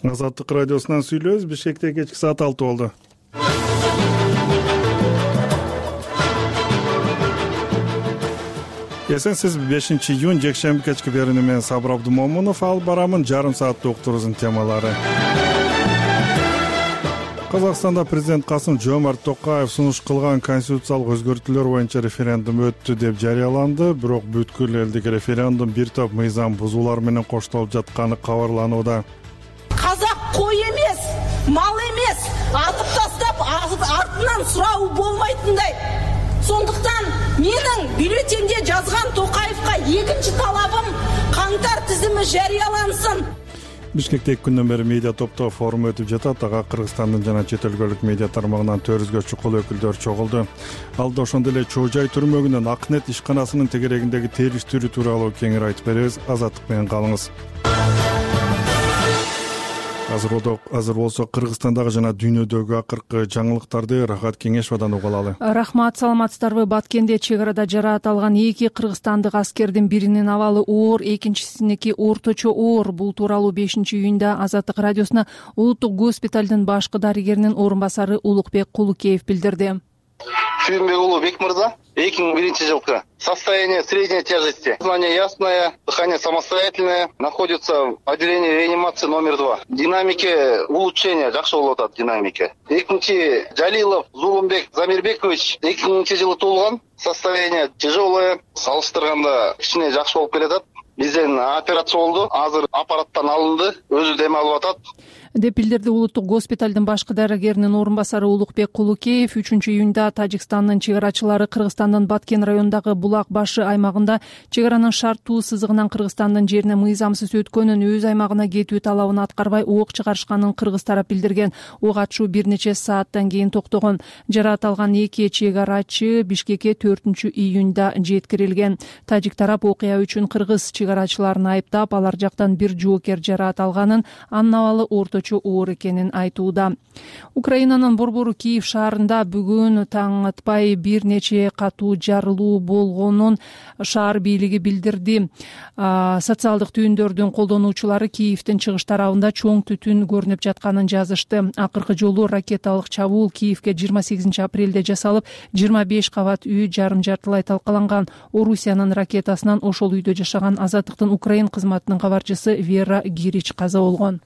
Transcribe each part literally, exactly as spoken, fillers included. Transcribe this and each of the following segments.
Азаттык радиосунан сүйлөбүз. Бишкекте кечки саат алты болду. Эсенсиз, бешинчи июнь жекшемби кечки берүүнү мен Сабыр Абдумомунов алып барамын. Жарым сааттык уктуруубуздун темалары. Казакстанда президент Касым-Жомарт Токаев сунуш кылган конституциялык өзгөртүүлөр боюнча референдум өттү деп жарыяланды. Бирок бүткүл элдик референдум бир топ мыйзам бузуулар менен коштолуп жатканы кабарланууда. Казак кой эмес, мал эмес, атып тастап артынан суроо болмойтундай. Сондуктан менин бюллетенде жазган Токаевка экинчи талабым каңтар тизими жарыялансын. Бишкекте эки күндөн бери медиа топтоо форум өтүп жатат. Ага Кыргызстандын жана чет өлкөлүк медиа тармагынан төрт жүзгө чукул өкүлдөр чогулду. Алда ошондой эле Чоо Жай түрмөгүнөн Акнет ишканасынын тегерегиндеги териштирүү тууралуу кеңири айтып беребиз. Азаттык менен калыңыз. Азыр азыр болсо Кыргызстандагы жана дүйнөдөгү акыркы жаңылыктарды Рахат Кеңешовдон угуп алалы. Рахмат, саламатсыздарбы? Баткенде чек арада жараат алган эки кыргызстандык аскердин биринин абалы оор, экинчисиники орточо оор. Бул тууралуу бешинчи июнда Азаттык радиосуна улуттук госпиталдын башкы дарыгеринин орун басары Улукбек Кулукеев билдирди. Сүйүнбек уулу Бек мырза, эки миң биринчи жылкы состояние средней тяжести, сознание ясное, дыхание самостоятельное, находится в отделении реанимации номер два. Динамики улучшения, жакшы болуп атат динамики. Экинчи Жалилов Зулумбек Замирбекович эки миңинчи жылы туулган, состояние тяжелое, салыштырганда кичине жакшы болуп келатат. Бизден операция болду, азыр аппараттан алынды, өзү дем алып атат деп билдирди улуттук госпиталдын башкы дарыгеринин орун басары Улукбек Кулукеев. үчүнчү июнда Тажикстандын чек арачылары Кыргызстандын Баткен районундагы Булак башы аймагында чек аранын шарттуу сызыгынан Кыргызстандын жерине мыйзамсыз өткөнүн, өз аймагына кетүү талабын аткарбай ок чыгарышканын кыргыз тарап билдирген. Ок атышуу бир нече сааттан кийин токтогон. Жараат алган эки чек арачы Бишкекке төртүнчү июнда жеткирилген. Тажик тарап окуя үчүн кыргыз чек арачыларын айыптап, алар жактан бир жоокер жараат алганын, анын абалы орто оор экенин айтууда. Украинанын борбору Киев шаарында бүгүн таң атпай бир нече катуу жарылуу болгонун шаар бийлиги билдирди. Социалдык түйүндөрдүн колдонуучулары Киевдин чыгыш тарабында чоң түтүн көрүнүп жатканын жазышты. Акыркы жолу ракеталык чабуул Киевге жыйырма сегизинчи апрелде жасалып, жыйырма беш кабат үй жарым-жартылай талкаланган. Орусиянын ракетасынан ошол үйдө жашаган Азаттыктын Украин кызматынын кабарчысы Вера Гирич каза болгон.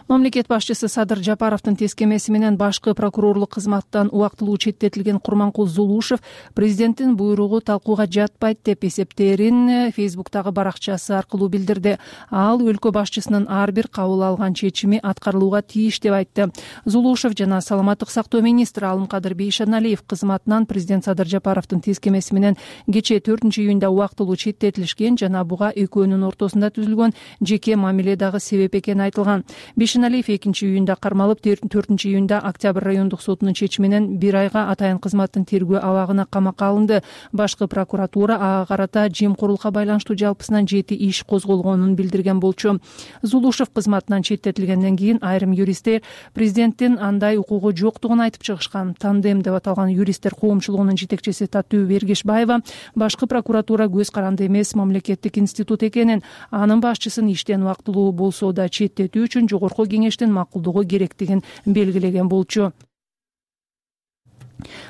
Мамлекет башчысы Садыр Жапаровдун тескемеси менен башкы прокурорлук кызматтан убактылуу четтетилген Курманкул Зулушев президенттин буйругу талкууга жатпайт деп эсептерин Фейсбуктагы баракчасы аркылуу билдирди. Ал өлкө башчысынын ар бир кабыл алган чечими аткарылууга тийиш деп айтты. Зулушев жана саламаттык сактоо министри Алымкадыр Бейшеналиев кызматынан президент Садыр Жапаровдун тескемеси менен кечээ төртүнчү июнда убактылуу четтетилишкен жана буга экөөнүн ортосунда түзүлгөн жеке мамиле дагы себеп экени айтылган. Бейшеналиев экинчи июнда кармалып, төртүнчү июнда Октябрь райондук сотунун чечими менен бир айга атайын кызматтын тергөө абагына камакка алынды. Башкы прокуратура ага карата жемкорлукка байланыштуу жалпысынан жети иш козголгонун билдирген болчу. Зулушев кызматынан четтетилгенден кийин айрым юристтер президенттин андай укугу жоктугун айтып чыгышкан. Тандем деп аталган юристтер коомчулугунун жетекчиси Татуу Бергешбаева башкы прокуратура көз каранды эмес мамлекеттик институт экенин, анын башчысын иштен убактылуу болсо да четтетүү үчүн жогорку кеңештин макулдугу керектигин белгилеген болчу.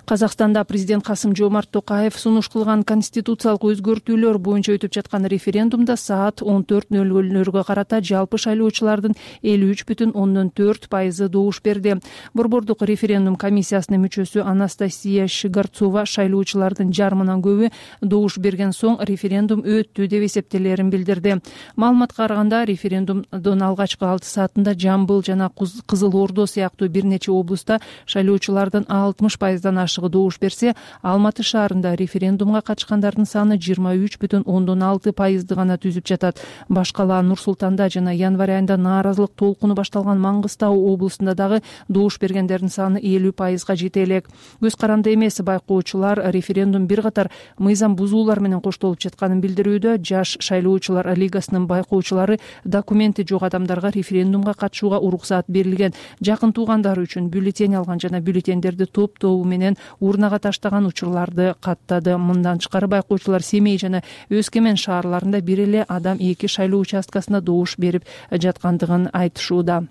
Казакстанда президент Касым-Жомарт Токаев сунуш кылган конституциялык өзгөртүүлөр боюнча өтүп жаткан референдумда саат он төрт нөл нөлгө карата жалпы шайлоочулардын элүү үч бүтүн ондон төрт пайызы добуш берди. Борбордук референдум комиссиясынын мүчөсү Анастасия Шигарцова шайлоочулардын жарымынан көбү добуш берген соң референдум өттү деп эсептелерин билдирди. Маалыматка караганда референдумдун алгачкы алты саатында Жамбыл жана Кызыл Ордо сыяктуу бир нече облустта шайлоочулардын алтымыш пайыздан ашыгы добуш берсе, Алматы шаарында референдумга катышкандардын саны жыйырма үч бүтүн ондон алты пайызды гана түзүп жатат. Башкала Нур Султанда жана январь айында нааразылык толкуну башталган Маңгыстау облусунда дагы добуш бергендердин саны элүү пайызга жете элек. Көз каранды эмес байкоочулар референдум бир катар мыйзам бузуулар менен коштолуп жатканын билдирүүдө. Жаш шайлоочулар лигасынын байкоочулары документи жок адамдарга референдумга катышууга уруксаат берилген, жакын туугандары үчүн бюллетень алган жана бюллетендерди топ тобу менен урнага таштаган учурларды каттады. Мындан тышкары байкоочулар Семей жана Өскөмен шаарларында бир эле адам эки шайлоо участкасында добуш берип жаткандыгын айтышууда.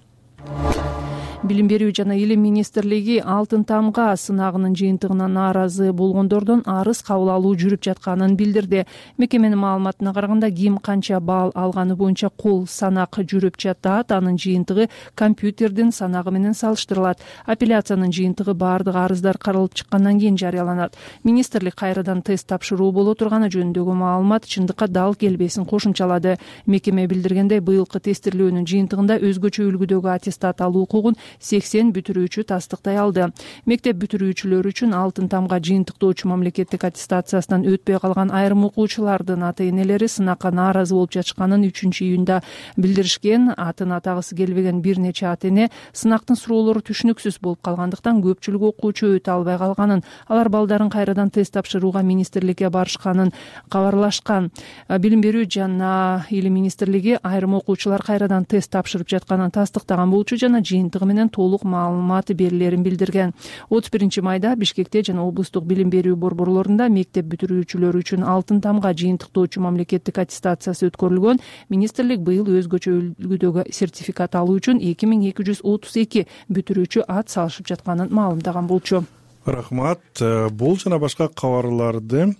Билим берүү жана илим министрлиги Алтын тамга сынагынын жыйынтыгына нааразы болгондордон арыз кабыл алуу жүрүп жатканын билдирди. Мекеменин маалыматына караганда ким канча балл алганы боюнча кол санак жүрүп жатат. Анын жыйынтыгы компьютердин санагы менен салыштырылат. Апелляциянын жыйынтыгы баардык арыздар каралып чыккандан кийин жарыяланат. Министрлик кайрадан тест тапшыруу боло турганы жөнүндөгү маалымат чындыкка дал келбесин кошумчалады. Мекеме билдиргендей, быйылкы тестирлөөнүн жыйынтыгында өзгөчө үлгүдөгү аттестат алуу укугун сексен бүтүрүүчү тастыктай алды. Мектеп бүтүрүүчүлөр үчүн Алтын тамга жыйынтыктоочу мамлекеттик аттестациясынан өтпөй калган айрым окуучулардын ата-энелери сынакка нааразы болуп жатышканын үчүнчү июнда билдиришкен. Атын атагысы келбеген бир нече ата-эне сынактын суроолору түшүнүксүз болуп калгандыктан көпчүлүк окуучу өтө албай калганын, алар балдарын кайрадан тест тапшырууга министрликке барышканын кабарлашкан. Билим берүү жана илим министрлиги айрым окуучулар кайрадан тест тапшырып жатканын тастыктаган болчу жана жыйынтыгы менен толук маалымат берилерин билдирген. отуз биринчи майда Бишкекте жана облустук билим берүү борборлорунда мектеп бүтүрүүчүлөр үчүн Алтын тамга жыйынтыктоочу мамлекеттик аттестациясы өткөрүлгөн. Министрлик быйыл өзгөчө үлгүдөгү сертификат алуу үчүн эки миң эки жүз отуз эки бүтүрүүчү ат салышып жатканын маалымдаган болчу. Рахмат. Бул жана башка кабарларды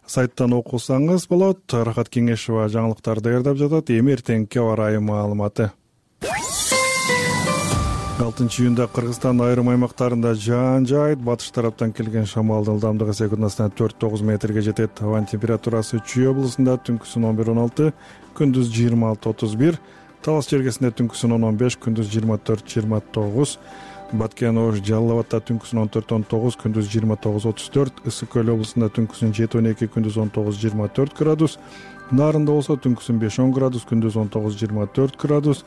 сайттан окусаңыз болот. Рахат Кеңешова жаңылыктарды даярдап жатат. Эми эртеңки аба ырайы маалыматы. алтынчы июнда Кыргызстандын айрым аймактарында жаан жаайт. Батыш тараптан келген шамалдын ылдамдыгы секундасына төрт тогуз метрге жетет. Абанын температурасы Чүй облусунда түнкүсүн он бир он алты, күндүз жыйырма алты отуз бир, Талас жергесинде түнкүсүн он он беш, күндүз жыйырма төрт жыйырма тогуз, Баткен Ош Жалал абадта түнкүсүн он төрт он тогуз, күндүз жыйырма тогуз отуз төрт, Ысык көл облусунда түнкүсүн жети он эки, күндүз он тогуз жыйырма төрт градус, Нарында болсо түнкүсүн беш он градус, күндүз он тогуз жыйырма төрт градус.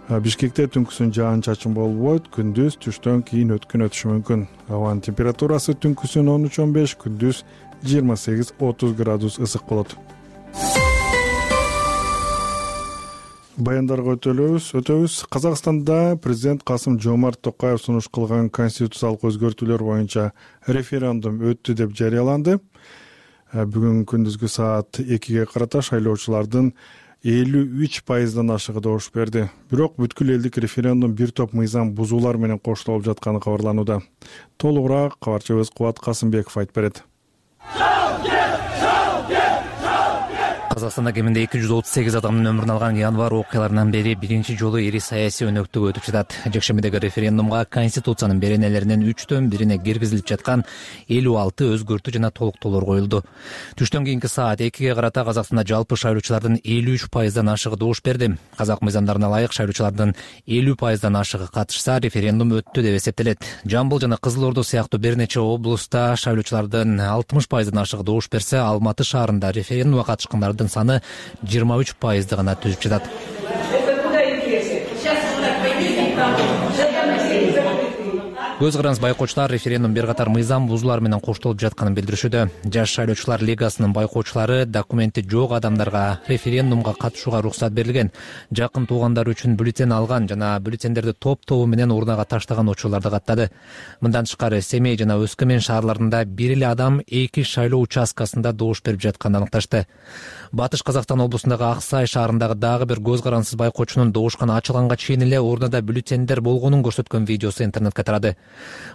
Бишкекте түнкүсүн жаан чачын болбойт, күндүз түштөн кийин өткөн өтүшү мүмкүн. Абанын температурасы түнкүсүн он үч он беш, күндүз жыйырма сегиз отуз градус ысык болот. Баяндарга өтөлөбүз. Өтөбүз. Казакстанда президент Касым Жомарт Токаев сунуш кылган конституциялык өзгөртүүлөр боюнча референдум өттү деп жарыяланды. Бүгүн күндүзгү саат экиге карата шайлоочулардын элүү үч пайыздан ашыгы добуш берди. Бирок бүткүл элдик референдум бир топ мыйзам бузуулар менен коштолуп жатканы кабарланууда. Толугураак кабарчыбыз Кубат Касымбеков айтып берет. Казакстанда кеминде эки жүз отуз сегиз адамдын өмүрүн алган январь окуяларынан бери биринчи жолу ири саясий өнөктүк өтүп жатат. Жекшембидеги референдумга Конституциянын беренелеринин үчтөн бирине киргизилип жаткан элүү алты өзгөртүү жана толуктоолор коюлду. Түштөн кийинки саат экиге карата Казакстанда жалпы шайлоочулардын элүү үч пайыздан ашыгы добуш берди. Казак мыйзамдарына ылайык шайлоочулардын элүү пайыздан ашыгы катышса, референдум өттү деп эсептелет. Жамбыл жана Кызыл Ордо сыяктуу бир нече облуста шайлоочулардын алтымыш пайыздан ашыгы добуш берсе, Алматы шаарында референдумга катышкандардын саны жыйырма үч пайызды гана түзүп жатат. Көз караныз байкоочулар референдум бир катар мыйзам бузуулар менен коштолуп жатканын билдиришүүдө. Жаш шайлоочулар лигасынын байкоочулары документи жок адамдарга референдумга катышууга уруксат берилген, жакын туугандары үчүн бюллетень алган жана бюллетендерди топ-тобу менен урнага таштаган учурларды каттады. Мындан тышкары Семей жана Өскөмен шаарларында бир эле адам эки шайлоо участкасында добуш берип жатканын аныкташты. Батыш Казакстан облусундагы Ак Сай шаарындагы дагы бир көз карансыз байкоочунун добушкан ачылганга чейин эле урнада бюллетендер болгонун көрсөткөн видеосу интернетке тарады.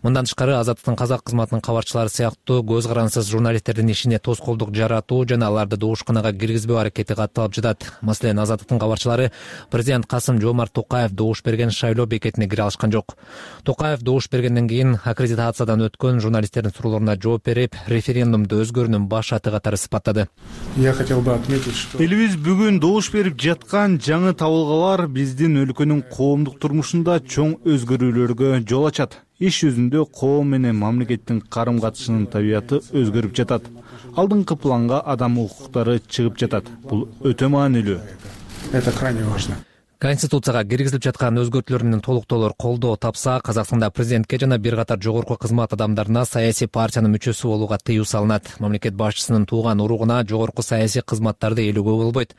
Мындан тышкары Азаттыктын казак кызматынын кабарчылары сыяктуу көз карансыз журналисттердин ишине тоскоолдук жаратуу жана аларды добушканага киргизбөө аракети катталып жатат. Маселен, Азаттыктын кабарчылары президент Касым Жомарт Токаев добуш берген шайлоо бекетине кире алышкан жок. Токаев добуш бергенден кийин аккредитациядан өткөн журналисттердин суроолоруна жооп берип, референдумду өзгөрүүнүн баш аты катары сыпаттады. Я хотел бы отметить, что элибиз бүгүн добуш берип жаткан жаңы табылгалар биздин өлкөнүн коомдук турмушунда чоң өзгөрүүлөргө жол ачат. Иш жүзүндө коом менен мамлекеттин карым-катышынын табияты өзгөрүп жатат. Алдыңкы планга адам укуктары чыгып жатат. Бул өтө маанилүү. Это крайне важно. Конституцияга киргизилип жаткан өзгөртүүлөр менен толуктоолор колдоо тапса, Казакстанда президентке жана бир катар жогорку кызмат адамдарына саясий партиянын мүчөсү болууга тыюу салынат. Мамлекет башчысынын тууган уругуна жогорку саясий кызматтарды ээлөөгө болбойт.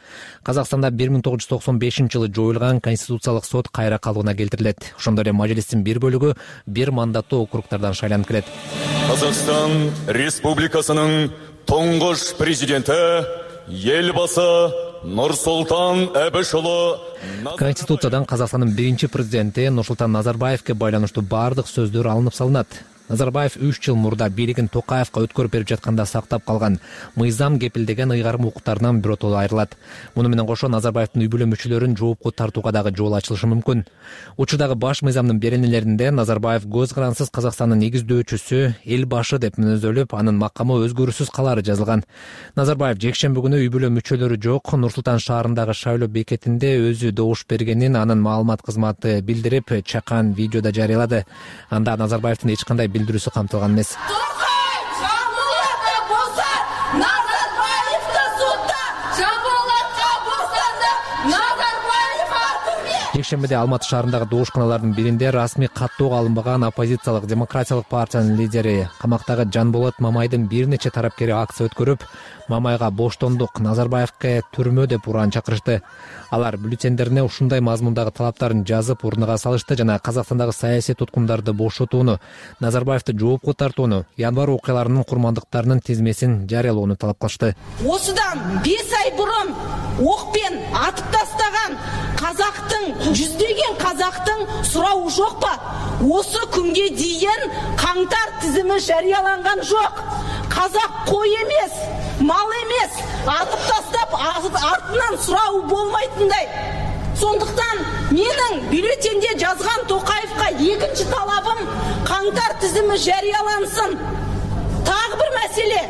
Казакстанда бир миң тогуз жүз токсон бешинчи жылы жоюлган Конституциялык сот кайра калыбына келтирилет. Ошондой эле мажлистин бир бөлүгү бир мандаттуу округтардан шайланып келет. Казакстан Республикасынын тоңгош президенти Елбасы Нурсултан Абишулу Конституциядан Казакстандын биринчи президенти Нурсултан Назарбаевке байланыштуу бардык сөздөр алынып салынат. Назарбаев үч жыл мурда бийлигин Токаевка өткөрүп берип жатканда сактап калган мыйзам кепилдеген ыйгарым укуктарынан биротоло айрылат. Муну менен кошо Назарбаевдин үй бүлө мүчөлөрүн жоопко тартууга дагы жол ачылышы мүмкүн. Учурдагы баш мыйзамдын беренелеринде Назарбаев көз карансыз Казакстандын негиздөөчүсү, эл башы деп мүнөздөлүп, анын макамы өзгөрүүсүз калары жазылган. Назарбаев жекшемби күнү үй бүлө мүчөлөрү жок Нур-Султан шаарындагы шайлоо бекетинде өзү добуш бергенин анын маалымат кызматы билдирип, чакан видеода жарыялады. Анда Назарбаевдин эч кандай билдирүүсү камтылган эмес. Жекшембиде Алматы шаарындагы добушканалардын биринде расмий каттоого алынбаган оппозициялык демократиялык партиянын лидери, камактагы Жанболот Мамайдын бир нече тарапкери акция өткөрүп, Мамайга боштондук, Назарбаевке түрмө деп уран чакырышты. Алар бюллетендерине ушундай мазмундагы талаптарын жазып урнага салышты жана Казакстандагы саясий туткундарды бошотууну, Назарбаевди жоопко тартууну, январь окуяларынын курмандыктарынын тизмесин жарыялоону талап кылышты. Осудан беш ай бурун окпен атып тастаган казактын, жүздөгөн казактын сурауы жок ба? Осы күнгө дейин каңтар тизими жарыяланган жок. Казак кой эмес, мал эмес, атып тастап артынан сурауы болмайтындай. Сондуктан менин бюллетенде жазган Токаевка экинчи талабым каңтар тизими жарыялансын. Тагы бир маселе,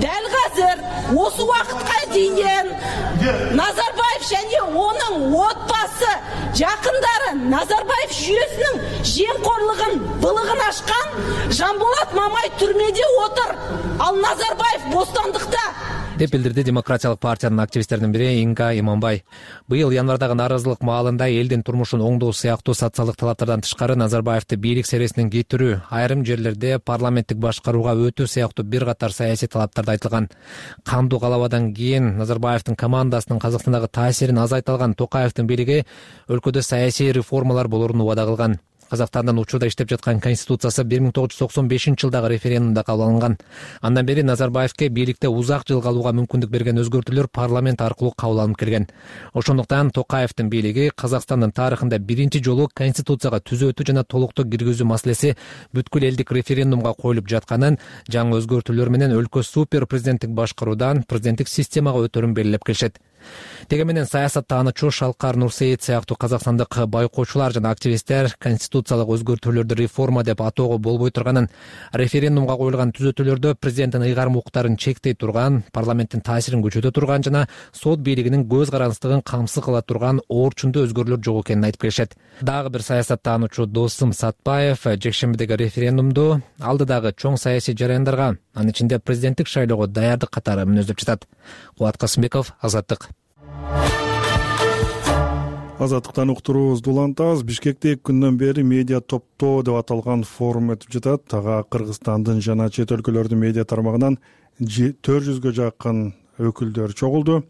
дәл азыр осы убакытка дейин Назарбаев және оның отбасы жакындары Назарбаев жүйөсүнүн жемқорлығын, былыгын ашкан Жанболот Мамай түрмеде отыр, ал Назарбаев бостандыкта деп билдирди демократиялык партиянын активисттеринин бири Инга Иманбай. Быйыл январдагы нааразылык маалында элдин турмушун оңдоо сыяктуу социалдык талаптардан тышкары Назарбаевди бийлик сересинен кетирүү, айрым жерлерде парламенттик башкарууга өтүү сыяктуу бир катар саясий талаптарды айтылган. Кандуу калабадан кийин Назарбаевдин командасынын Казакстандагы таасирин азайта алган Токаевдин бийлиги өлкөдө саясий реформалар болорун убада кылган. Казакстандын учурда иштеп жаткан конституциясы бир миң тогуз жүз токсон бешинчи жылдагы референдумда кабыл алынган. Андан бери Назарбаевке бийликте узак жыл калууга мүмкүндүк берген өзгөртүүлөр парламент аркылуу кабыл алынып келген. Ошондуктан Токаевдин бийлиги Казакстандын тарыхында биринчи жолу конституцияга түзөтүү жана толуктоо киргизүү маселеси бүткүл элдик референдумга коюлуп жатканын, жаңы өзгөртүүлөр менен өлкө супер президенттик башкаруудан президенттик системага өтөрүн белгилеп келишет. Теге менен саясат таанычу Шалкар Нурсейит сыяктуу казакстандык байкоочулар жана активисттер конституциялык өзгөртүүлөрдү реформа деп атоого болбой турганын, референдумга коюлган түзөтүүлөрдө президенттин ыйгарым укуктарын чектей турган, парламенттин таасирин күчөтө турган жана сот бийлигинин көз карансыздыгын камсыз кыла турган оорчундуу өзгөрүүлөр жок экенин айтып келишет. Дагы бир саясат таанычу Досум Сатпаев жекшембидеги референдумду алдыдагы чоң саясий жараяндарга, анын ичинде президенттик шайлоого даярдык катары мүнөздөп жатат. Кубат Касымбеков, Азаттык. Азаттыктан уктуруубузду улантабыз. Бишкекте эки күндөн бери медиа топтоо деп аталган форум өтүп жатат. Ага Кыргызстандын жана чет өлкөлөрдүн медиа тармагынан төрт жүзгө жакын өкүлдөр чогулду.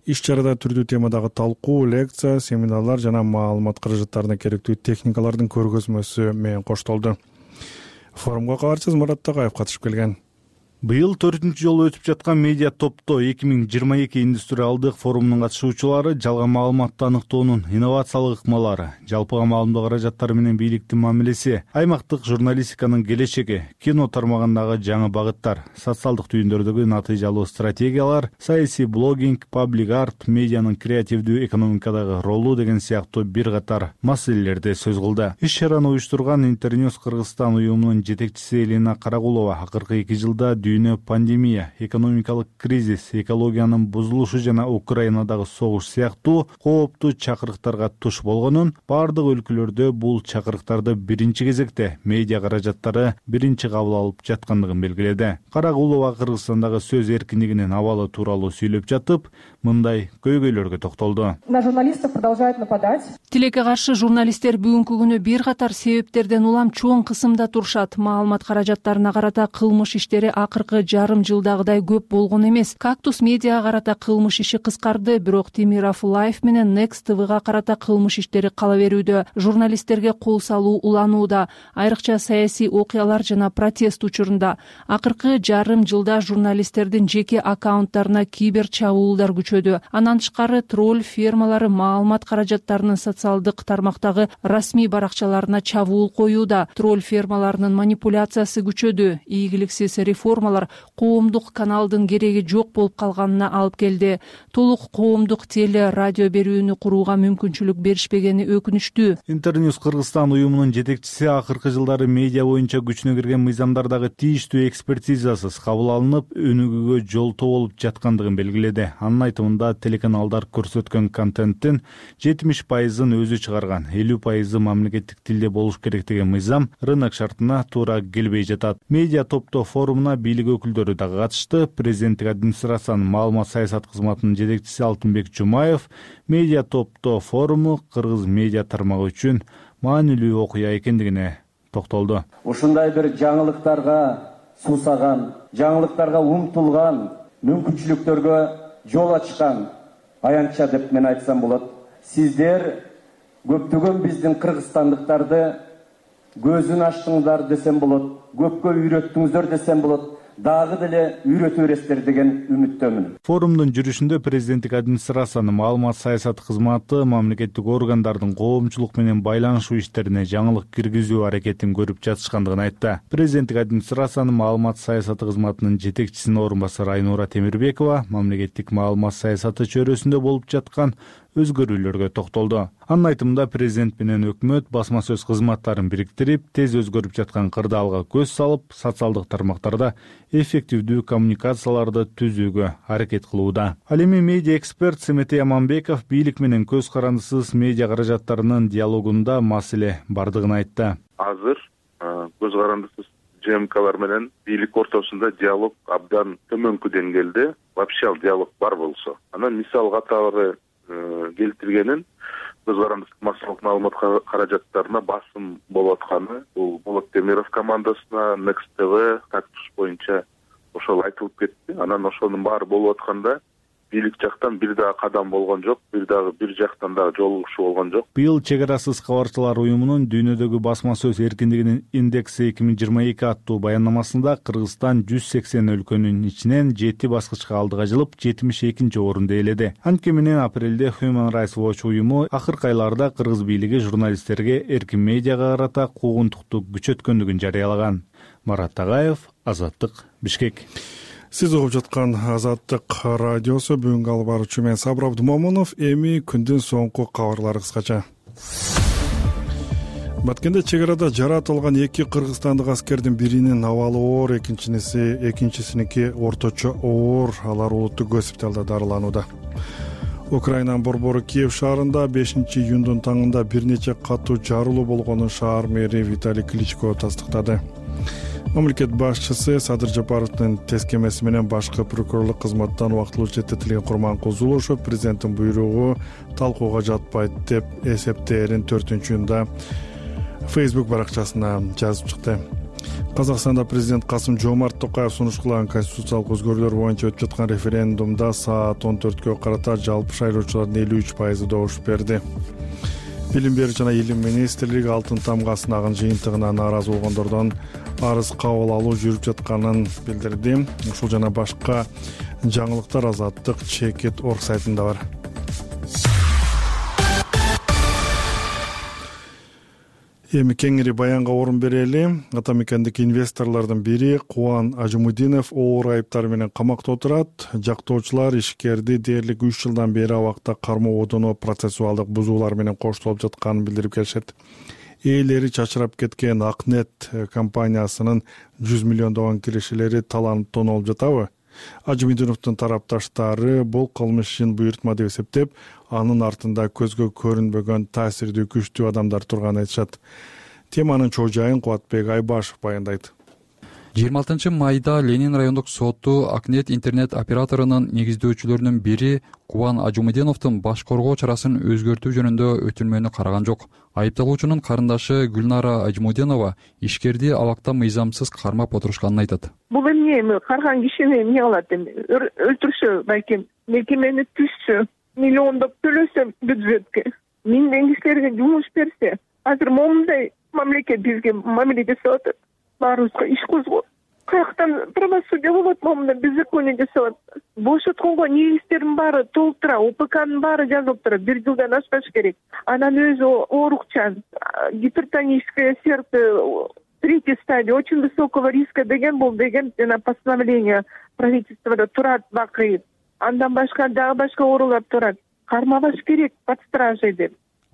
Иш чарада түрдүү темадагы талкуу, лекция, семинарлар жана маалымат каражаттарына керектүү техникалардын көргөзмөсү менен коштолду. Форумга кабарчыбыз Марат Такаев катышып келген. Быйыл төртүнчү жолу өтүп жаткан медиа топтоо эки миң жыйырма эки индустриалдык форумунун катышуучулары жалган маалыматты аныктоонун инновациялык ыкмалары, жалпыга маалымдоо каражаттары менен бийликтин мамилеси, аймактык журналистиканын келечеги, кино тармагындагы жаңы багыттар, социалдык түйүндөрдөгү натыйжалуу стратегиялар, саясий блогинг, паблик арт, медианын креативдүү экономикадагы ролу деген сыяктуу бир катар маселелерди сөз кылды. Иш чараны уюштурган Интерньюз Кыргызстан уюмунун жетекчиси Элина Карагулова акыркы эки жылда дүйнө пандемия, экономикалык кризис, экологиянын бузулушу жана Украинадагы согуш сыяктуу кооптуу чакырыктарга туш болгонун, бардык өлкөлөрдө бул чакырыктарды биринчи кезекте медиа каражаттары биринчи кабыл алып жаткандыгын белгиледи. Карагулова Кыргызстандагы сөз эркиндигинин абалы тууралуу сүйлөп жатып, мындай көйгөйлөргө токтолду. На журналистов продолжают нападать. Тилекке каршы журналисттер бүгүнкү күнү бир катар себептерден улам чоң кысымда турушат. Маалымат каражаттарына карата кылмыш иштери акыркы жарым жылдагыдай көп болгон эмес. Кактус медиага карата кылмыш иши кыскарды, бирок Темиров Лайф менен Next ти ви-га карата кылмыш иштери кала берүүдө. Журналисттерге кол салуу уланууда, айрыкча саясий окуялар жана протест учурунда. Акыркы жарым жылда журналисттердин жеке аккаунттарына кибер чабуулдар күчөдү. Андан тышкары тролль фермалары маалымат каражаттарынын социалдык тармактагы расмий баракчаларына чабуул коюуда. Тролль фермаларынын манипуляциясы күчөдү. Ийгиликсиз реформалар коомдук каналдын кереги жок болуп калганына алып келди. Толук коомдук теле радио берүүнү курууга мүмкүнчүлүк беришпегени өкүнүчтүү. Интерnews Кыргызстан уюмунун жетекчиси акыркы жылдары медиа боюнча күчүнө кирген мыйзамдардагы тийиштүү экспертизасыз кабыл алынып, өнүгүүгө жолтоо болуп жаткандыгын белгиледи. Анын айтымында телеканалдар көрсөткөн контенттин жетимиш пайызын өзү чыгарган, элүү пайызы мамлекеттик тилде болуш керек деген мыйзам рынок шартына туура келбей жатат. Медиа топтоо форумуна бийлик өкүлдөрү дагы катышты. Президенттик администрациянын маалымат саясат кызматынын жетекчиси Алтынбек Жумаев медиа топтоо форуму кыргыз медиа тармагы үчүн маанилүү окуя экендигине токтолду. Ушундай бир жаңылыктарга суусаган, жаңылыктарга умтулган, мүмкүнчүлүктөргө жол ачкан аянтча деп мен айтсам болот. Сиздер көптөгөн биздин кыргызстандыктарды көзүн ачтыңдар десем болот, көпкө үйрөттүңүздөр десем болот, дагы деле үйрөтө бересиздер деген үмүттөмүн. Форумдун жүрүшүндө президенттик администрациянын маалымат саясат кызматы мамлекеттик органдардын коомчулук менен байланышуу иштерине жаңылык киргизүү аракетин көрүп жатышкандыгын айтты. Президенттик администрациянын маалымат саясаты кызматынын жетекчисинин орун басары Айнура Темирбекова мамлекеттик маалымат саясаты чөйрөсүндө болуп жаткан өзгөрүүлөргө токтолду. Анын айтымында президент менен өкмөт басма сөз кызматтарын бириктирип, тез өзгөрүп жаткан кырдаалга көз салып, социалдык тармактарда эффективдүү коммуникацияларды түзүүгө аракет кылууда. Ал эми медиа эксперт Семетей Аманбеков бийлик менен көз карандысыз медиа каражаттарынын диалогунда маселе бардыгын айтты. Азыр көз карандысыз ЖМКлар менен бийлик ортосунда диалог абдан төмөнкү деңгээлде, вообще диалог бар болсо. Анан мисал катары келтиргенин көз карандысыз массалык маалымат каражаттарына басым болуп атканы, бул Болот Темиров командасына, Next ти ви, Кактус боюнча ошол айтылып кетти. Анан ошонун баары болуп атканда бийлик жактан бир дагы кадам болгон жок, бир дагы бир жактан дагы жолугушуу болгон жок. Быйыл чек арасыз кабарчылар уюмунун дүйнөдөгү басма сөз эркиндигинин индекси эки миң жыйырма эки аттуу баяннамасында Кыргызстан жүз сексен өлкөнүн ичинен жети баскычка алдыга жылып, жетимиш экинчи орунду ээледи. Анткени менен апрелде Human Rights Watch уюму акыркы айларда кыргыз бийлиги журналисттерге эркин медиага карата куугунтукту күчөткөндүгүн жарыялаган. Марат Тагаев, Азаттык, Бишкек. Сиз угуп жаткан Азаттык радиосу. Бүгүнкү алып баруучу мен Сабыр Абдумомунов. Эми күндүн соңку кабарлары кыскача. Баткенде чек арада жаратылган эки кыргызстандык аскердин биринин абалы оор, экинчиси экинчисиники орточо оор. Алар улуттук госпиталда дарыланууда. Украинанын борбору Киев шаарында бешинчи июндун таңында бир нече катуу жарылуу болгонун шаар мэри Виталий Кличко тастыктады. Мамлекет башчысы Садыр Жапаровдун тескемеси менен башкы прокурорлук кызматтан убактылуу четтетилген Курманкул Зулушев президенттин буйругу талкууга жатпайт деп эсептээрин төртүнчү июнда Facebook баракчасына жазып чыкты. Казакстанда президент Касым Жомарт Токаев сунуш кылган конституциялык өзгөрүүлөр боюнча өтүп жаткан референдумда саат он төрткө карата жалпы шайлоочулардын элүү үч пайызы добуш берди. Билим берүү жана илим министрлиги Алтын тамга сынагын жыйынтыгына нааразы болгондордон арыз кабыл алуу жүрүп жатканын билдирди. Ушул жана башка жаңылыктар Азаттык чекит орг сайтында бар. Эми кеңири баянга орун берели. Атамекендеги инвесторлордун бири Кубан Ажымудинов оор айыптар менен камакта отурат. Жактоочулар ишкерди дээрлик үч жылдан бери абакта кармоо одоно процессуалдык бузуулар менен коштолуп жатканын билдирип келишет. ээлери чачырап кеткен Акнет компаниясынын жүз миллиондогон киришелери таланып тоноолуп жатабы? Ажимудиновдун тарапташтары бул кылмыш ишин буйрутма деп эсептеп, анын артында көзгө көрүнбөгөн таасирдүү күчтүү адамдар турганын айтышат. Теманын чоо жайын Кубатбек Айбашев баяндайт. жыйырма алтынчы майда Ленин райондук соту Акнет интернет операторунун негиздөөчүлөрүнүн бири Кубан Ажимудиновдун баш коргоо чарасын өзгөртүү жөнүндө өтүнмөнү караган жок. Айыпталуучунун карындашы Гүлнара Ажимудинова ишкерди абакта мыйзамсыз кармап отурушканын айтат. Бул эмне эми карган кишини эмне кылат эми? Өлтүрсө балким, мекемени түзсө, миллиондоп төлөсө бюджетке, миңдеген кишилерге жумуш берсе, азыр момундай мамлекет бизге мамиле жасап атат. Баарыбызга иш козгоп, каяктан правосудие болот, момундай беззаконие жасап атат. Бошотконго негиздердин баары толтура, ОПКнын баары жазылып турат, бир жылдан ашпаш керек. Анан өзү оорукчан, гипертоническое сердце, третья стадия, очень высокого риска деген бул деген жана постановление правительствода турат бакый. Андан башка дагы башка оорулар турат. Кармабаш керек под стражей деп.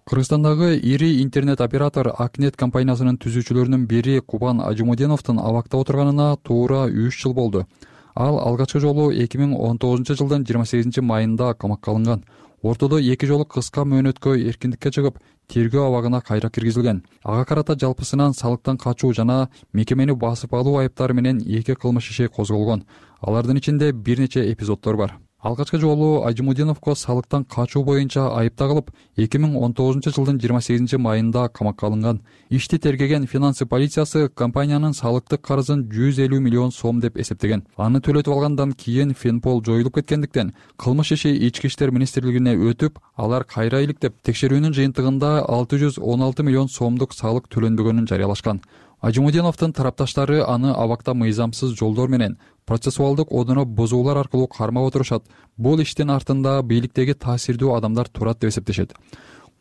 Кыргызстандагы ири интернет оператор Акнет компаниясынын түзүүчүлөрүнүн бири Кубан Ажимудиновдун абакта отурганына туура үч жыл болду. Ал алгачкы жолу эки миң он тогузунчу жылдын жыйырма сегизинчи майында камакка алынган. Ортодо эки жолу кыска мөөнөткө эркиндикке чыгып, тергөө абагына кайра киргизилген. Ага карата жалпысынан салыктан качуу жана мекемени басып алуу айыптары менен эки кылмыш иши козголгон. Алардын ичинде бир нече эпизоддор бар. Алгачкы жолу Ажимудиновго салыктан качуу боюнча айып тагылып, эки миң он тогузунчу жылдын жыйырма сегизинчи майында камакка алынган. Ишти тергеген финансы полициясы компаниянын салыктык карызын жүз элүү миллион сом деп эсептеген. Аны төлөтүп алгандан кийин Фенпол жоюлуп кеткендиктен кылмыш иши Ички иштер министрлигине өтүп, алар кайра иликтеп, текшерүүнүн жыйынтыгында алты жүз он алты миллион сомдук салык төлөнбөгөнүн жарыялашкан. Ажимудиновдун тарапташтары аны абакта мыйзамсыз жолдор менен процессуалдык одуну бузуулар аркылуу кармап отурушат. Бул иштин артында бийликтеги таасирдүү адамдар турат деп эсептешет.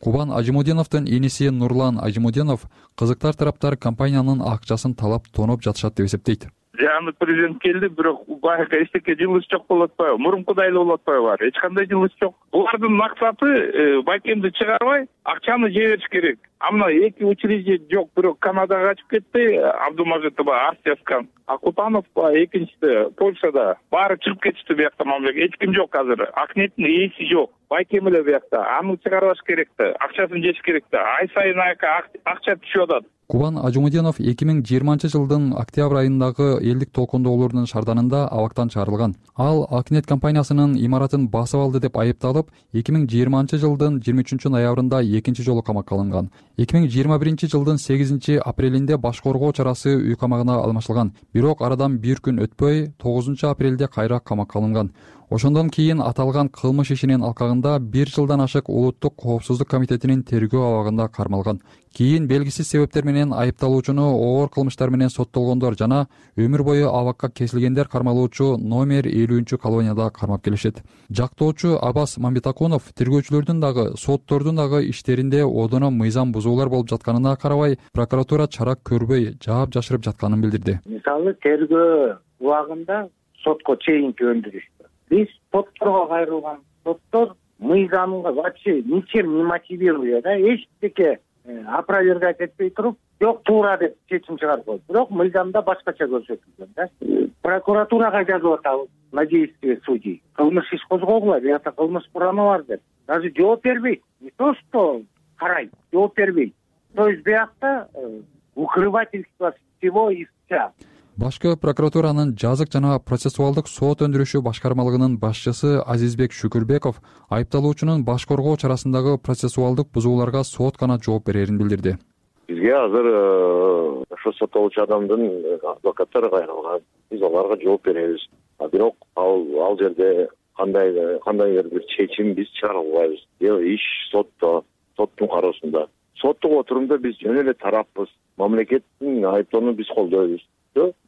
Кубан Ажимудиновдун иниси Нурлан Ажимудинов кызыктар тараптар компаниянын акчасын талап тоноп жатышат деп эсептейт. Жаңы президент келди, бирок байка эчтеке жылыш жок болуп атпайбы? Мурункудай эле болуп атпайбы? Эч кандай жылыш жок. Булардын максаты байкемди чыгарбай, акчаны жебериш керек. Амна эки учреждение жок, бирок Канадага качып кетти, Абдумажитова, Арсияскан, Акутанов, экинчиси Польшада. Баары чыгып кетишти биякта мамлекет. Эч ким жок азыр. Акнеттин ээси жок. Байкем эле биякта. Аны чыгарбаш керекти. Акчасын жеш керекти. Ай сайын акча түшүп атат. Кубан Ажимудинов эки миң жыйырманчы жылдын октябрь айындагы элдик толкундоолордун шарданында абактан чыгарылган. Ал Акнет компаниясынын имаратын басып алды деп айыпталып, эки миң жыйырманчы жылдын жыйырма үчүнчү ноябрында экинчи жолу камакка алынган. эки миң жыйырма биринчи жылдын сегизинчи апрелинде баш коргоо чарасы үй камагына алмаштырылган. Бирок арадан бир күн өтпөй тогузунчу апрелде кайра камакка алынган. Ошондон кийин аталган кылмыш ишинин алкагында бир жылдан ашык Улуттук коопсуздук комитетинин тергөө абагында кармалган. Кийин белгисиз себептер менен айыпталуучуну оор кылмыштар менен соттолгондор жана өмүр бою абакка кесилгендер кармалуучу номер элүүнчү колонияда кармап келишет. Жактоочу Абас Мамбетакунов тергөөчүлөрдүн дагы, соттордун дагы иштеринде одоно мыйзам бузуулар болуп жатканына карабай, прокуратура чара көрбөй, жаап жашырып жатканын билдирди. Мисалы, тергөө убагында сотко чейинки өндүрүштү. Биз сотторго кайрылган, соттор мыйзамга вообще ничем не мотивируя, да, эчтеке опровергать этпей туруп, жок туура деп чечим чыгарып койду. Бирок мыйзамда башкача көрсөтүлгөн, да. Прокуратурага жазып атабыз на действие судей. Кылмыш иш козгогула, биякта кылмыш курамы бар деп. Даже жооп бербейт. Не то что карайт, жооп бербейт. То есть биякта укрывательство всего истца. Башкы прокуратуранын жазык жана процессуалдык сот өндүрүшү башкармалыгынын башчысы Азизбек Шүкүрбеков айыпталуучунун баш коргоо чарасындагы процессуалдык бузууларга сот гана жооп берерин билдирди. Бизге азыр ошо соттолуучу адамдын адвокаттары кайрылган. Биз аларга жооп беребиз. Бирок ал ал жерде кандай кандайдыр бир чечим биз чыгара албайбыз. Иш сотто, соттун кароосунда. Соттук отурумда биз жөн эле тараппыз. Мамлекеттин айыптоону биз колдойбуз.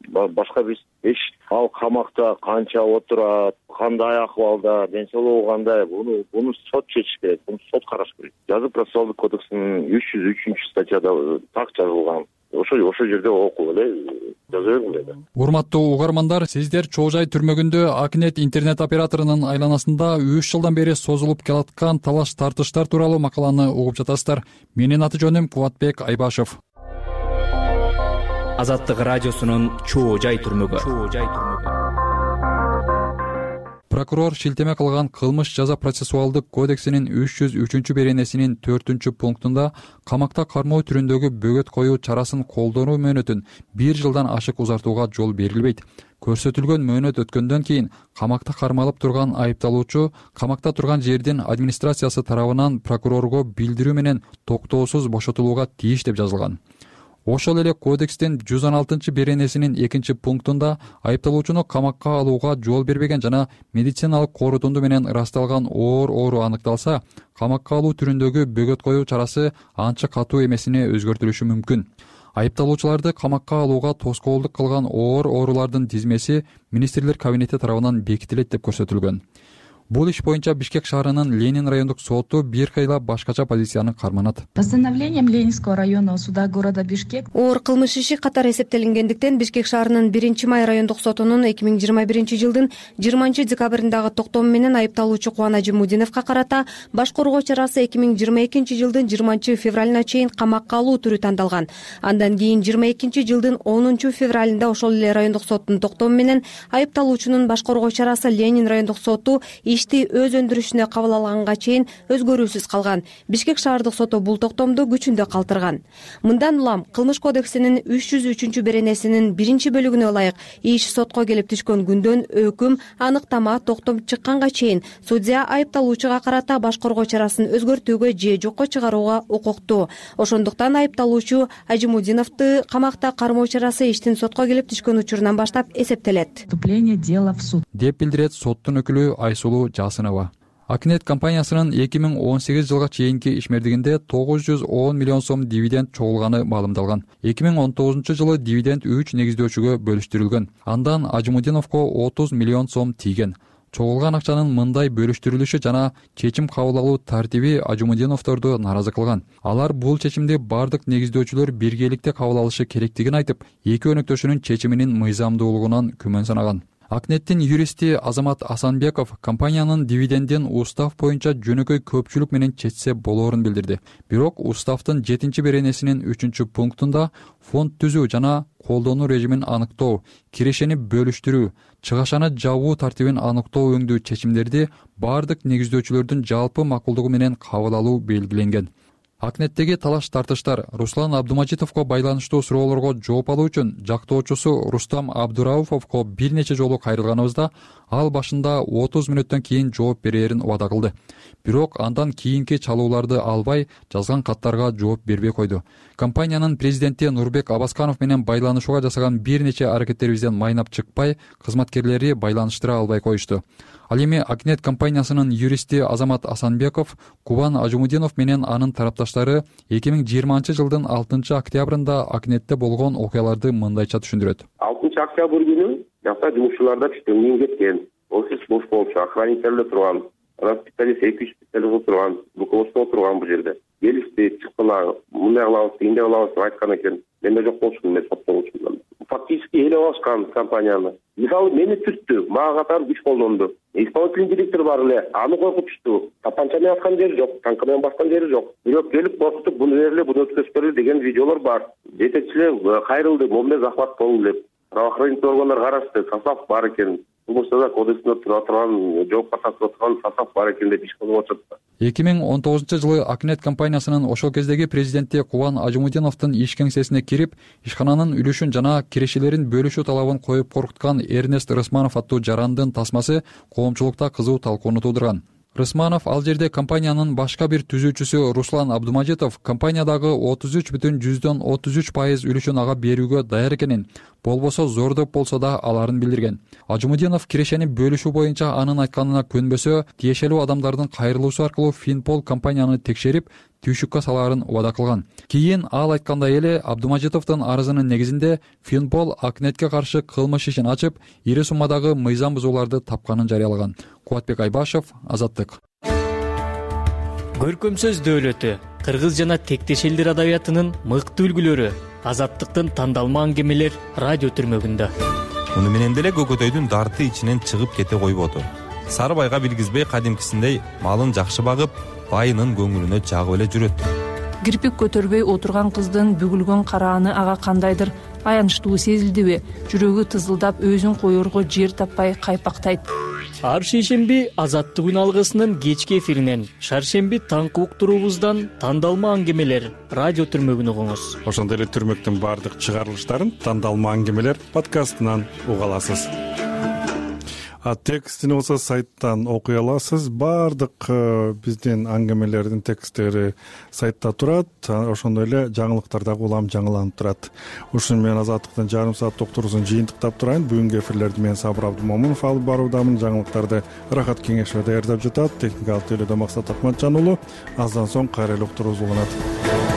Башка биз эч ал камакта канча отурат, кандай акыбалда, ден соолугу кандай, буну буну сот чечиш керек, буну сот караш керек. Жазык процессуалдык кодекстин үч жүз үчүнчү статьяда так жазылган. ошо ошол жерде окуп эле жаза бергиле да. Урматтуу угармандар, сиздер Чоо Жай түрмөгүндө Акнет интернет операторунун айланасында үч жылдан бери созулуп келаткан талаш тартыштар тууралуу макаланы угуп жатасыздар. Менин аты жөнүм Кубатбек Айбашев. Азаттык радиосунун Чоо Жай түрмөгү. Прокурор шилтеме кылган кылмыш жаза процессуалдык кодексинин үч жүз үчүнчү беренесинин төртүнчү пунктунда камакта кармоо түрүндөгү бөгөт коюу чарасын колдонуу мөөнөтүн бир жылдан ашык узартууга жол берилбейт. Көрсөтүлгөн мөөнөт өткөндөн кийин камакта кармалып турган айыпталуучу камакта турган жердин администрациясы тарабынан прокурорго билдирүү менен токтоосуз бошотулууга тийиш деп жазылган. Ошол эле кодекстин жүз он алтынчы беренесинин экинчи пунктунда айыпталуучуну камакка алууга жол бербеген жана медициналык корутунду менен ырасталган оор оору аныкталса, камакка алуу түрүндөгү бөгөт коюу чарасы анча катуу эмесине өзгөртүлүшү мүмкүн. Айыпталуучуларды камакка алууга тоскоолдук кылган оор оорулардын тизмеси министрлер кабинети тарабынан бекитилет деп көрсөтүлгөн. Бул иш боюнча Бишкек шаарынын Ленин райондук соту бир кыйла башкача позицияны карманат. Постановлением Ленинского районного суда города Бишкек оор кылмыш иши катар эсептелингендиктен Бишкек шаарынын биринчи май райондук сотунун эки миң жыйырма биринчи жылдын жыйырманчы декабрындагы токтому менен айыпталуучу Кубан Ажимудиновго карата баш коргоо чарасы эки миң жыйырма экинчи жылдын жыйырманчы февралына чейин камакка алуу түрү тандалган. Андан кийин жыйырма экинчи жылдын онунчу февралында ошол эле райондук соттун токтому менен айыпталуучунун баш коргоо чарасы Ленин райондук соту ишти өз өндүрүшүнө кабыл алганга чейин өзгөрүүсүз калган. Бишкек шаардык соту бул токтомду күчүндө калтырган. Мындан улам кылмыш кодексинин үч жүз үчүнчү беренесинин биринчи бөлүгүнө ылайык иш сотко келип түшкөн күндөн өкүм, аныктама, токтом чыкканга чейин судья айыпталуучуга карата баш коргоо чарасын өзгөртүүгө же жокко чыгарууга укуктуу. Ошондуктан айыпталуучу Ажимудиновду камакта кармоо чарасы иштин сотко келип түшкөн учурунан баштап эсептелет. Вступление дела в суд деп билдирет соттун өкүлү Айсулуу Жасынова. Акнет компаниясынын эки миң он сегиз жылга чейинки ишмердигинде тогуз жүз он миллион сом дивиденд чогулганы маалымдалган. эки миң он тогузунчу жылы дивиденд үч негиздөөчүгө бөлүштүрүлгөн. Андан Ажимудиновго отуз миллион сом тийген. Чогулган акчанын мындай бөлүштүрүлүшү жана чечим кабыл алуу тартиби Ажимудиновдорду нааразы кылган. Алар бул чечимди бардык негиздөөчүлөр биргеликте кабыл алышы керектигин айтып, эки өнөктөшүнүн чечиминин мыйзамдуулугунан күмөн санаган. Акнеттин юристи Азамат Асанбеков компаниянын дивидендин устав боюнча жөнөкөй көпчүлүк менен чечсе болоорун билдирди. Бирок уставдын жетинчи беренесинин үчүнчү пунктунда фонд түзүү жана колдонуу режимин аныктоо, кирешени бөлүштүрүү, чыгашаны жабуу тартибин аныктоо өңдүү чечимдерди бардык негиздөөчүлөрдүн жалпы макулдугу менен кабыл алуу белгиленген. Акнеттеги талаш тартыштар Руслан Абдумажитовго байланыштуу суроолорго жооп алуу үчүн жактоочусу Рустам Абдурауфовго бир нече жолу кайрылганыбызда ал башында отуз мүнөттөн кийин жооп берерин убада кылды. Бирок андан кийинки чалууларды албай, жазган каттарга жооп бербей койду. Компаниянын президенти Нурбек Абасканов менен байланышууга жасаган бир нече аракеттерибизден майнап чыкпай, кызматкерлери байланыштыра албай коюшту. Ал эми Акнет компаниясынын юристи Азамат Асанбеков Кубан Ажимудинов менен анын тарапташтары эки миң жыйырманчы жылдын алтынчы октябрында Акнетте болгон окуяларды мындайча түшүндүрөт. алтынчы октябрь күнү жакта жумушчуларда түштөн кийин кеткен. Офис бош болчу, охранниктер турган, анан специалист эки үч специалист турган, руководство турган бул жерде. Келишти, чыккыла, мындай кылабыз, тигиндей кылабыз деп айткан экен. Мен да жок болчумун, мен соттолчумун. Фактически эле алышкан компанияны. Мисалы мени түрттү, мага катар күч колдонду. Исполнительный директор бар эле, аны коркутушту. Тапанча менен аткан жери жок, танка менен баскан жери жок. Бирок келип коркутуп, буну берле, буну өткөзбөлү деген видеолор бар. Жетекчилер кайрылды, момун захват болду деп. Правоохранительный органдар карашты, состав бар экен. Кылмышта кодексинде тура турган, жоопко тартылып турган состав бар экен деп иш кылып атышат. эки миң он тогузунчу жылы Акнет компаниясынын ошол кездеги президенти Кубан Ажимудиновдун иш кеңсесине кирип, ишкананын үлүшүн жана кирешелерин бөлүшүү талабын коюп коркуткан Эрнест Рысманов аттуу жарандын тасмасы коомчулукта кызуу талкууну туудурган. Рысманов ал жерде компаниянын башка бир түзүүчүсү Руслан Абдумажитов компаниядагы отуз үч бүтүн жүздөн отуз үч пайыз үлүшүн ага берүүгө даяр экенин, болбосо зордоп болсо да аларын билдирген. Ажимудинов кирешени бөлүшүү боюнча анын айтканына көнбөсө, тиешелүү адамдардын кайрылуусу аркылуу Финпол компанияны текшерип, түйшүккө салаарын убада кылган. Кийин ал айткандай эле Абдумажитовдун арызынын негизинде Финпол Акнетке каршы кылмыш ишин ачып, ири суммадагы мыйзам бузууларды тапканын жарыялаган. Кубатбек Айбашев, Азаттык. Көркөм сөз дөөлөтү, кыргыз жана тектеш элдер адабиятынын мыкты үлгүлөрү. Азаттыктын тандалма аңгемелер радио түрмөгүндө. Муну менен деле Көкөтөйдүн дарты ичинен чыгып кете койбоду. Сары байга билгизбей кадимкисиндей малын жакшы багып, байынын көңүлүнө жагып эле жүрөт. Кирпик көтөрбөй отурган кыздын бүгүлгөн карааны ага кандайдыр аянычтуу сезилдиби? Жүрөгү тызылдап, өзүн коерго жер таппай кайпактайт. Ар шейшемби Азаттык үн алгысынын кечки эфиринен, шаршемби таңкы уктуруубуздан тандалма аңгемелер радио түрмөгүн угуңуз. Ошондой эле түрмөктүн баардык чыгарылыштарын тандалма аңгемелер подкастынан уга аласыз. А текстин болсо сайттан окуй аласыз. Баардык биздин аңгемелердин тексттери сайтта турат. Ошондой эле жаңылыктар дагы улам жаңыланып турат. Ушуну менен Азаттыктын жарым саат доктурусун жыйынтыктап турайын. Бүгүнкү эфирлерди мен Сабыр Абдымомунов алып баруудамын. Жаңылыктарды Рахат Кеңешов даярдап жатат. Техникалык тейлөөдө Максат Акматжан уулу. Аздан соң кайра эле уктуруубуз уланат.